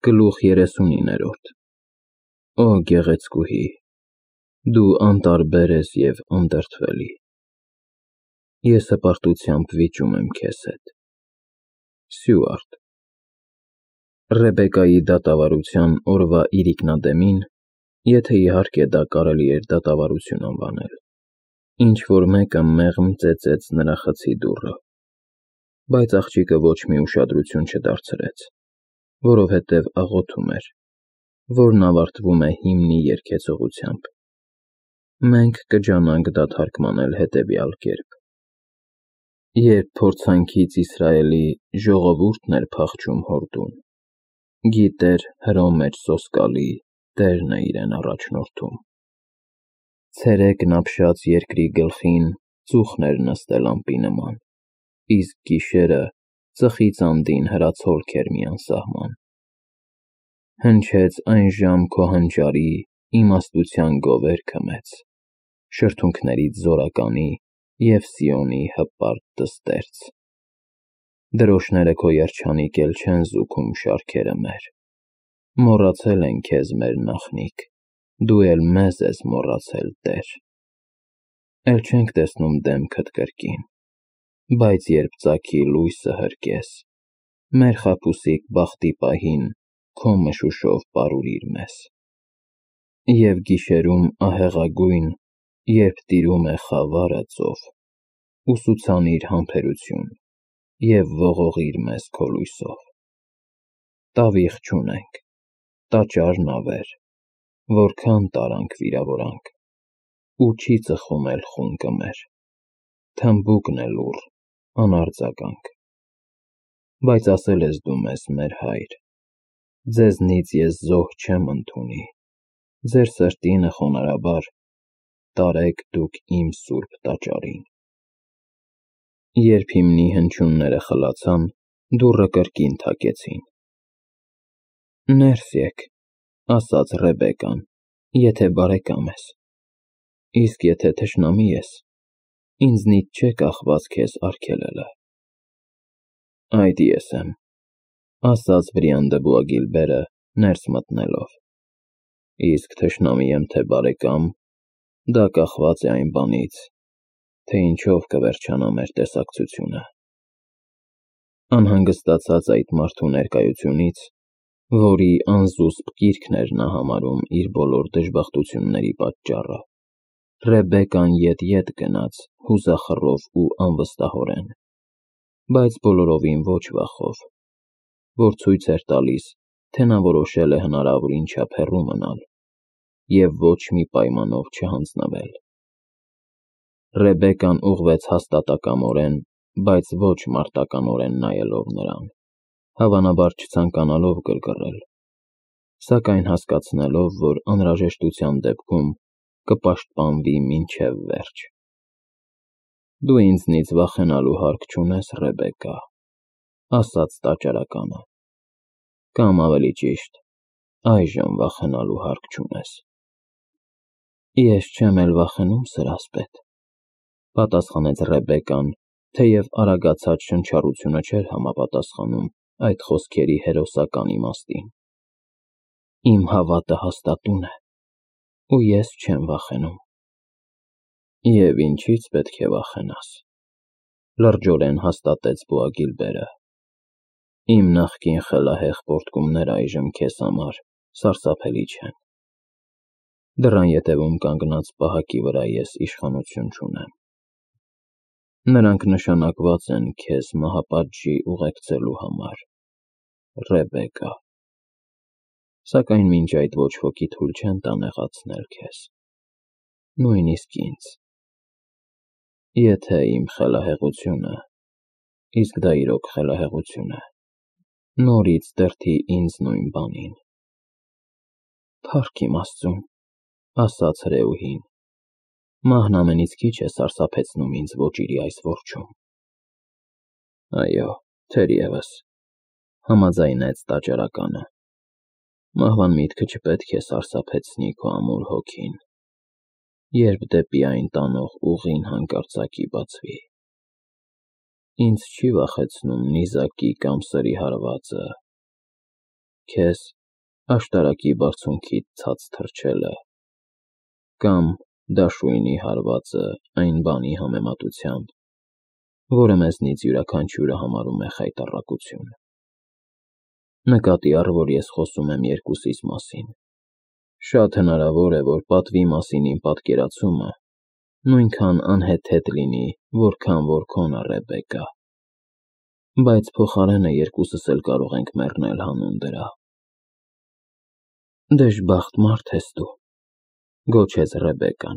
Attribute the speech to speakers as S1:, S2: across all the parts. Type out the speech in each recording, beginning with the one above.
S1: Գլուխ 39-րդ Օ գեղեցկուհի, դու անտարբեր ես և անդրդվելի, ես հպարտությամբ վիճում եմ քեզ հետ։ Սյուարտ Ռեբեկայի դատավարության օրվա իրիկնադեմին, եթե իհարկե դա կարելի էր դատավարություն անվանել, ինչ-որ մեկը մեղմ ծեծեց նրա խցի դուռը, բայց աղջիկը ոչ մի ուշադրություն չդարձրեց, որովհետև աղոթում էր, որն ավարտվում է հիմնի երգեցողությամբ։ Մենք կջանանք դա թարգմանել հետևյալ կերպ. Երբ փորձանքից Իսրայելի ժողովուրդն էր փախչում հորդուն, գիտեր Հրոմ մեջ սոսկալի Տերն է իրեն առաջնորդում։ Ցերեկն ապշած երկրի գլխին ծուխն էր նստել ամպի նման, իսկ գիշերը ծխից անդին հրացոլք էր մի անսահման։ Հնչեց այն ժամ քո հանճարի իմաստության գովերգը մեծ, շրթունքներից զորականի և Սիոնի հպարտ դստերձ։ Դրոշները քո երջանիկ էլ չեն զուգում շարքերը մեր, մոռացել են քեզ մեր նախնիկ, դու էլ մեզ ես մոռացել Տեր։ Էլ չենք տեսնում դեմքդ կրկին, բայց երբ ծագի լույսը հրկես, մեր խաբուսիկ բախտի պահին քո մշուշով պարուրիր մեզ։ Եվ գիշերում ահեղագույն, երբ տիրում է խավարը ծով, ուսուցանիր համբերություն և ողողիր մեզ քո լույսով։ Տավիղ չունենք, տաճարն ավեր, որքան տարանք վիրավորանք, ու չի ծխում էլ խունկը մեր, թմբուկն է լուռ, անարձագանք։ Բայց ասել ես դու մեզ, մեր Հայր, ձեզնից ես զոհ չեմ ընդունի, ձեր սրտինը խոնարհաբար տարեք դուք իմ սուրբ տաճարին։ Երբ հիմնի հնչյունները խլացան, դուռը կրկին թակեցին։ Ներս եկ, ասաց Ռեբեկան, եթե բարեկամ ես, իսկ եթե թշնամի ես, ինձնից չէ կախված քեզ արգելելը։ Այդ ես եմ, ասաց Վրիանդებული ներս մտնելով, իսկ թշնամի եմ թե բարեկամ, դա կախված է այն բանից, թե ինչով կվերջանա մեր տեսակցությունը։ Անհանգստացած այդ մարդու ներկայությունից, որի անզուսպ կիրքն էր նա համարում իր բոլոր դժբախտությունների պատճառը, Ռեբեկան ետ գնաց հուզախռով ու անվստահորեն, բայց բոլորովին ոչ վախով, որ ցույց էր տալիս, թե նա որոշել է հնարավորին չափ հեռու մնալ և ոչ մի պայմանով չհանձնվել։ Ռեբեկան ուղղվեց հաստատակամորեն, բայց ոչ մարտականորեն նայելով նրան, հավանաբար չցանկանալով գրգռել, սակայն հասկացնելով, որ անհրաժեշտության դեպքում կպաշտպանվի մինչև վերջ։ Դու ինձնից վախենալու հարկ չունես, Ռեբեկա, ասաց տաճարականը, կամ ավելի ճիշտ, այժմ վախենալու հարկ չունես։ Ես չեմ էլ վախենում, սրասպետ, պատասխանեց Ռեբեկան, թեև արագացած շնչառությունը չէր համապատասխանում այդ խոսքերի հերոսական իմաստին։ Իմ հավատը հաստատուն է, ու ես չեմ վախենում։ Եվ ինչի՞ց պետք է վախենաս, լրջորեն հաստատեց Բոագիլբերը։ Իմ նախկին խելահեղ պոռթկումները այժմ քեզ համար սարսափելի չեն։ Դռան ետևում կանգնած պահակի վրա ես իշխանություն չունեմ։ Նրանք նշանակված են քեզ մահապատժի ուղեկցելու համար, Ռեբեկա, սակայն մինչ այդ ոչ ոքի թույլ չեն տա նեղացնել քեզ, նույնիսկ ինձ։ Եթե իմ խելահեղությունը, իսկ դա իրոք խելահեղություն է, նորից դրդի ինձ նույն բանին։ Փառք իմ Աստծուն, ասաց հրեուհին, մահն ամենից քիչ է սարսափեցնում ինձ ոճիրի այս որջում։ Այո, թերևս, համաձայնեց տաճարականը, մահվան միտքը չպետք է սարսափեցնի քո ամուր հոգին, երբ դեպի այն տանող ուղին հանկարծակի բացվի։ Ինձ չի վախեցնում նիզակի կամ սրի հարվածը, քեզ աշտարակի բարձունքից ցած թռչելը, կամ դաշույնի հարվածը այն բանի համեմատությամբ, որը մեզնից յուրաքանչյուրը համարում է խայտառակություն։ Նկատի առ, որ ես խոսում եմ երկուսիս մասին։ Շատ հնարավոր է, որ պատվի մասին իմ պատկերացումը նույնքան անհեթեթ լինի, որքան որ քոնը, Ռեբեկա, բայց փոխարենը երկուսս էլ կարող ենք մեռնել հանուն դրա։ Դժբախտ մարդ ես դու, գոչեց Ռեբեկան։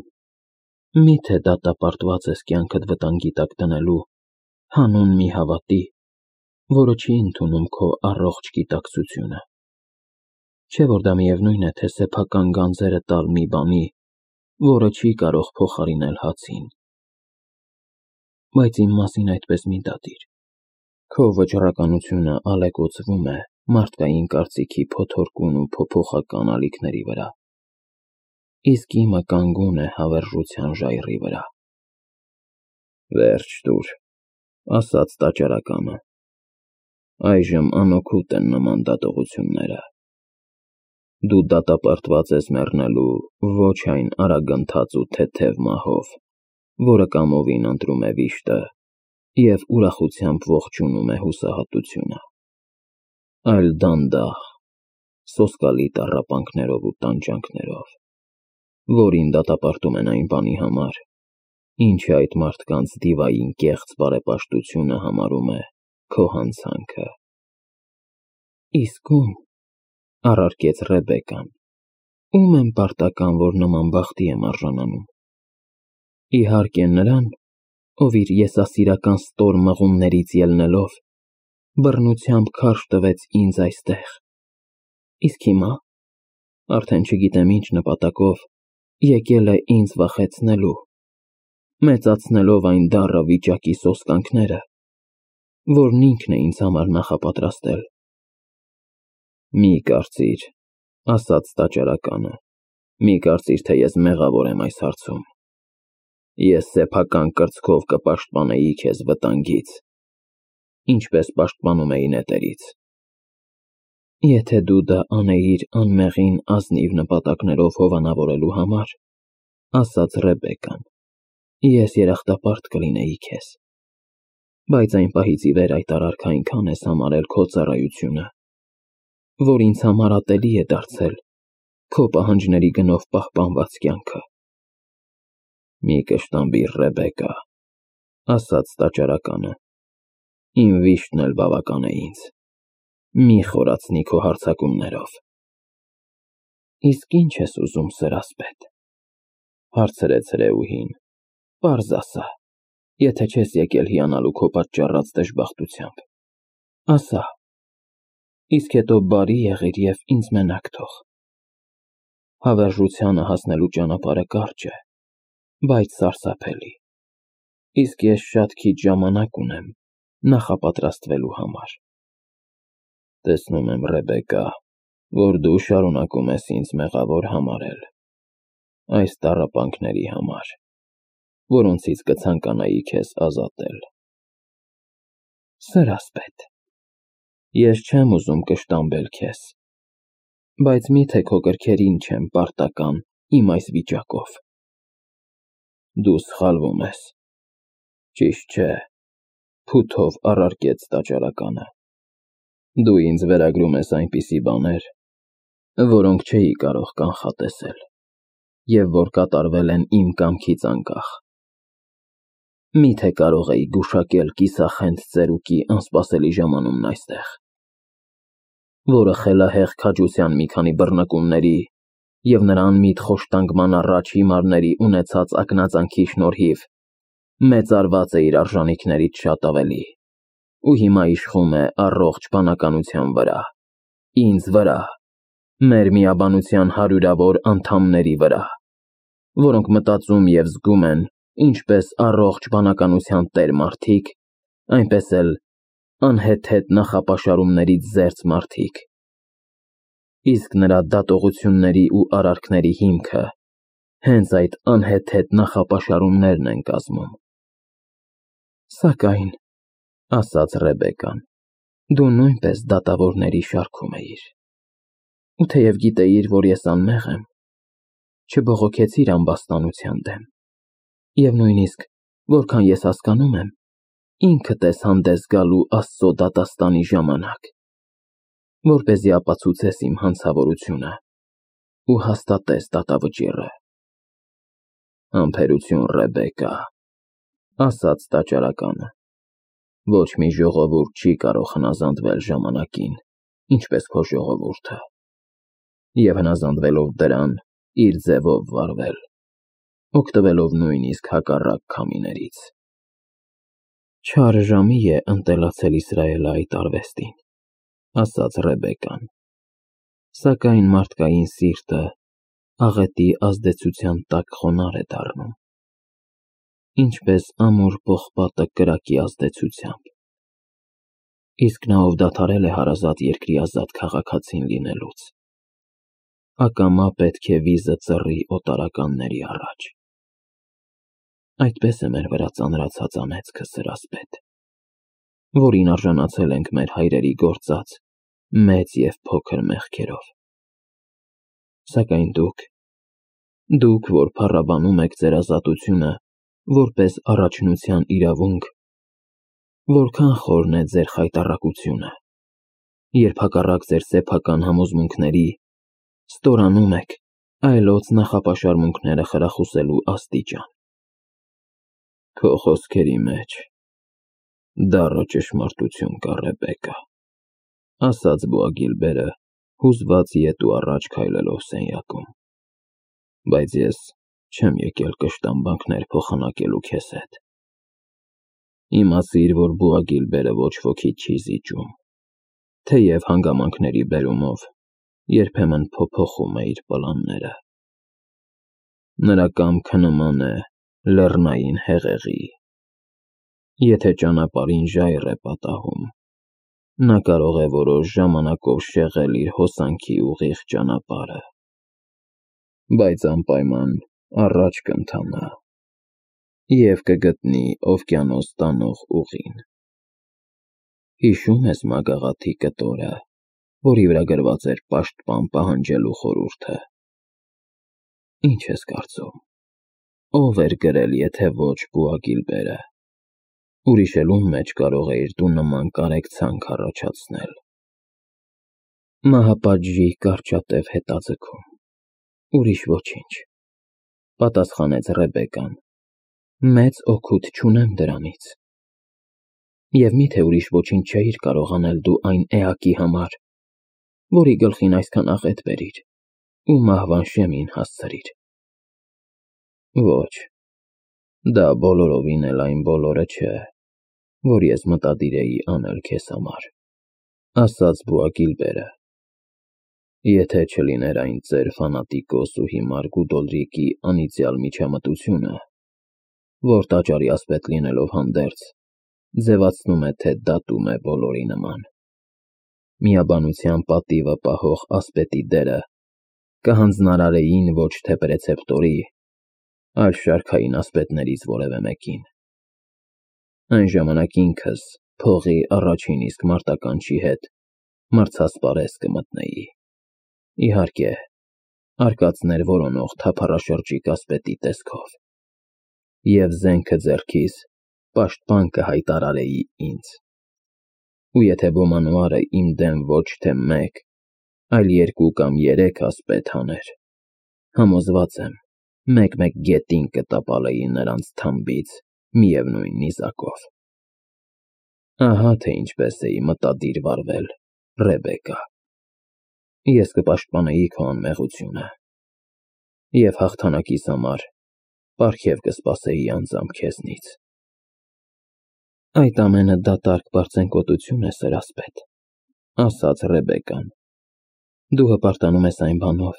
S1: Միթե դատապարտված ես կյանքդ վտանգի տակ դնելու հանուն մի հավատի, որը չի ընդունում քո առողջ գիտակցությունը։ Չէ՞ որ դա միևնույն է, թե սեփական գանձերը տալ մի բանի, որը չի կարող փոխարինել հացին։ Բայց իմ մասին այդպես մի դատիր։ Քո վճռականությունը ալեկոծվում է մարդկային կարծիքի փոթորկուն ու փոփոխական ալիքների վրա, իսկ իմը կանգուն է հավերժության ժայռի վրա։ Վերջ տուր, ասաց տաճարականը։ Այժմ անօգուտ են նման դատողությունները։ Դու դատապարտված ես մեռնելու ոչ այն արագընթաց ու թեթև մահով, որը կամովին ընտրում է վիշտը և ուրախությամբ ողջունում է հուսահատությունը, այլ դանդաղ, սոսկալի տառապանքներով ու տանջանքներով, որին դատապարտում են այն բանի համար, ինչը այդ մարդկանց դիվային կեղծ բարեպաշտությունը համարում է քո հանցանքը։ Իսկ ում, առարկեց Ռեբեկան, ում եմ պարտական, որ նման բախտի եմ արժանանում։ Իհարկե նրան, ով իր եսասիրական ստոր մղումներից ելնելով, բռնությամբ քարշ տվեց ինձ այստեղ, իսկ հիմա, արդեն չգիտեմ ինչ նպատակով, եկել է ինձ վախեցնելու, մեծացնելով այն դառը վիճակի սոսկանքները, որն ինքն է ինձ համար նախապատրաստել։ Մի կարծիր, ասաց տաճարականը, մի կարծիր, թե ես մեղավոր եմ այս հարցում։ Ես սեփական կրծքով կպաշտպանեի քեզ վտանգից, ինչպես պաշտպանում էի նետերից։ Եթե դու դա անեիր անմեղին ազնիվ նպատակներով հովանավորելու համար, ասաց Ռեբեկան, ես երախտապարտ կլինեի քեզ, բայց այն պահից ի վեր այդ արարքը այնքան ես համարել քո ծառայությունը, որ ինձ համար ատելի է դարձել քո պահանջների գնով պահպանված կյանքը։ Մի կշտամբիր, Ռեբեկա, ասաց տաճարականը, իմ վիշտն էլ բավական է ինձ, մի խորացնի քո հարձակումներով։ Իսկ ինչ ես ուզում, սրասպետ, հարցրեց հրեուհին, պարզ ասա, եթե չես եկել հիանալու քո պատճառած դժբախտությամբ, ասա, իսկ հետո բարի եղիր և ինձ մենակ թող։ Հավերժությանը հասնելու ճանապարհը կարճ է, բայց սարսափելի, իսկ ես շատ քիչ ժամանակ ունեմ նախապատրաստվելու համար։ Տեսնում եմ, Ռեբեկա, որ դու շարունակում ես ինձ մեղավոր համարել, այս տառապանքների համար, որոնցից կցանկանայի քեզ ազատել։ Սրասպետ, ես չեմ ուզում կշտամբել քեզ, բայց միթե քո կրքերին չեմ պարտական իմ այս վիճակով։ Դու սխալվում ես։ Ճիշտ չէ, փութով առարկեց տաճարականը։ Դու ինձ վերագրում ես այնպիսի բաներ, որոնք չէի կարող կանխատեսել, և որ կատարվել են իմ կամքից անկախ։ Միթե կարող էի գուշակել կիսախենդ ծերուկի անսպասելի ժամանումն այստեղ, որը խելահեղ քաջության մի քանի բռնկումների և նրա անմիտ խոշտանգման առաջ հիմարների ունեցած ակնածանքի շնորհիվ մեծարված է իր արժանիքներից շատ ավելի, ու հիմա իշխում է առողջ բանականության վրա, ինձ վրա, մեր միաբանության հարյուրավոր անդամների վրա, որոնք մտածում և զգում են ինչպես առողջ բանականության տեր մարդիկ, այնպես էլ անհեթեթ նախապաշարումներից զերծ մարդիկ։ Իսկ նրա դատողությունների ու արարքների հիմքը հենց այդ անհեթեթ նախապաշարումներն են կազմում։ Սակայն, ասաց Ռեբեկան, դու նույնպես դատավորների շարքում էիր։ ու թեև գիտեիր, որ ես անմեղ եմ, չբողոքեցիր ամբաստանության դեմ, և նույնիսկ, որքան ես հասկանում եմ, ինքդ ես հանդես գալու Աստծո դատաստանի ժամանակ, որպեսզի ապացուցես իմ հանցավորությունը ու հաստատես դատավճիռը։ Համբերություն, Ռեբեկա, ասաց տաճարականը, ոչ մի ժողովուրդ չի կարող հնազանդվել ժամանակին, ինչպես քո ժողովուրդը, և հնազանդվելով դրան, իր ձևով վարվել, օգտվելով նույնիսկ հակառակ քամիներից։ Չար ժամի է ընտելացել Իսրայելը այդ արվեստին, ասաց Ռեբեկան, սակայն մարդկային սիրտը աղետի ազդեցության տակ խոնարհ է դառնում, ինչպես ամուր պողպատը կրակի ազդեցությամբ, իսկ նա, ով դադարել է հարազատ երկրի ազատ քաղաքացին լինելուց, ակամա պետք է վիզը ծռի օտարականների առաջ։ Այդպես է մեր վրա ծանրացած անեծքը, սրասպետ, որին արժանացել ենք մեր հայրերի գործած մեծ և փոքր մեղքերով։ Սակայն դուք, որ փառաբանում եք ձեր ազատությունը որպես առաջնության իրավունք, որքան խորն է ձեր խայտառակությունը, երբ հակառակ ձեր սեփական համոզմունքների ստորանում եք այլոց նախապաշարմունքները խրախուսելու աստիճան։ Քո խոսքերի մեջ դառը ճշմարտություն կա, Ռեբեկա, ասաց Բոագիլբերը, հուզված ետու առաջ քայլելով սենյակում, բայց ես չեմ եկել կշտամբանքներ փոխանակելու քեզ հետ։ Իմացիր, որ Բոագիլբերը ոչ ոքի չի զիջում, թեև հանգամանքների բերումով երբեմն փոփոխում է իր պլանները։ Նրա կամքը նման է լեռնային հեղեղի։ Եթե ճանապարհին ժայռ է պատահում, նա կարող է որոշ ժամանակով շեղել իր հոսանքի ուղիղ ճանապարհը, բայց անպայման առաջ կընթանա և կգտնի օվկիանոս տանող ուղին։ Հիշո՞ւմ ես մագաղաթի կտորը, որի վրա գրված էր պաշտպան պահանջելու խորհուրդը։ Ինչ ես կարծում, ով էր գրել, եթե ոչ Բոագիլբերը։ Ուրիշ էլ ում մեջ կարող էիր դու նման կարեկցանք առաջացնել։ Մահապատժի կարճատև հետաձգում, ուրիշ ոչինչ, պատասխանեց Ռեբեկան, մեծ օգուտ չունեմ դրանից։ Եվ միթե ուրիշ ոչինչ չէիր կարող անել դու այն էակի համար, որի գլխին այսքան աղետ բերիր ու մահվան շեմին հասցրիր։ Ոչ, դա բոլորովին էլ այն բոլորը չէ, որ ես մտադիր էի անել քեզ համար, ասաց Բոագիլբերը։ Եթե չլիներ այն ծեր ֆանատիկոս ու հիմար Գուդոլրիկի անիծյալ միջամտությունը, որ տաճարի ասպետ լինելով հանդերձ, ձևացնում է, թե դատում է բոլորի նման։ Միաբանության պատիվը պահող ասպետի դերը կհանձնարարեին ոչ թե պրեցեպտորի, այլ շարքային ասպետներից որևէ մեկին։ Այն ժամանակ ինքս փողի առաջին իսկ մարտականչի հետ մրցասպարեզ կմտնեի, իհարկե, արկածներ որոնող թափառաշրջիկ ասպետի տեսքով, և զենքը ձեռքիս պաշտպան կհայտարարեի ինձ։ Ու եթե ոմանուարը իմ դեմ ոչ թե մեկ, այլ երկու կամ երեք ասպետ հաներ, համոզված եմ, մեկ-մեկ գետին կտապալեի նրանց թամբից միևնույն նիզակով։ Ահա թե ինչպես էի մտադիր վարվել, Ռեբեկա։ Ես կպաշտպանեի քո անմեղությունը և հաղթանակիս համար պարգև կսպասեի անձամբ քեզնից։ Այդ ամենը դատարկ պարծենկոտություն է, սրասպետ, ասաց Ռեբեկան։ Դու հպարտանում ես այն բանով,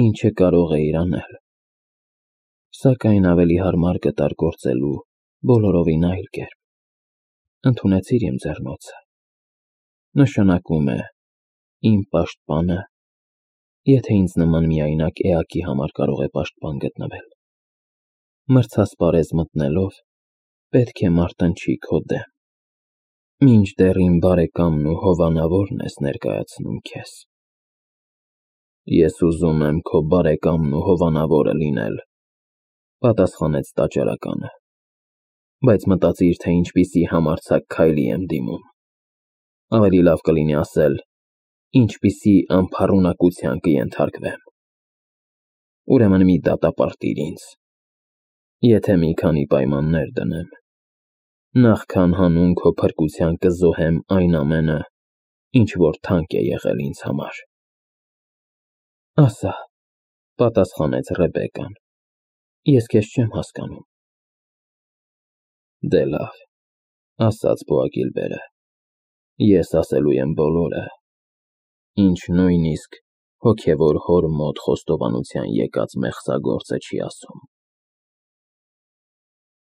S1: ինչը կարող էիր անել, սակայն ավելի հարմար գտար գործելու բոլորովին այլ կերպ։ Ընդունեցիր իմ ձեռնոցը։ Նշանակում է իմ պաշտպանը, եթե ինձ նման միայնակ էակի համար կարող է պաշտպան գտնվել։ Մրցասպարեզ մտնելով պետք է մարտնչի քո դեմ, մինչդեռ իմ բարեկամն ու հովանավորն ես ներկայացնում քեզ։ Ես ուզում եմ քո բարեկամն ու հովանավորը լինել, պատասխանեց տաճարականը, բայց մտածիր, թե ինչպիսի համարձակ քայլի եմ դիմում։ Ավելի լավ կլինի ասել, ինչպիսի անփառունակության կենթարկվեմ։ Ուրեմն մի դատապարտիր ինձ, եթե մի քանի պայմաններ դնեմ, նախքան հանուն քո փրկության կզոհեմ այն ամենը, ինչ որ թանկ է եղել ինձ համար։ Ասա, պատասխանեց Ռեբեկկան, ես քեզ չեմ հասկանում։ Դե լավ, ասաց Բոագիլբերը, ես ասելու եմ բոլորը, ինչ նույնիսկ հոգևոր հոր մոտ խոստովանության եկած մեղսագործը չի ասում։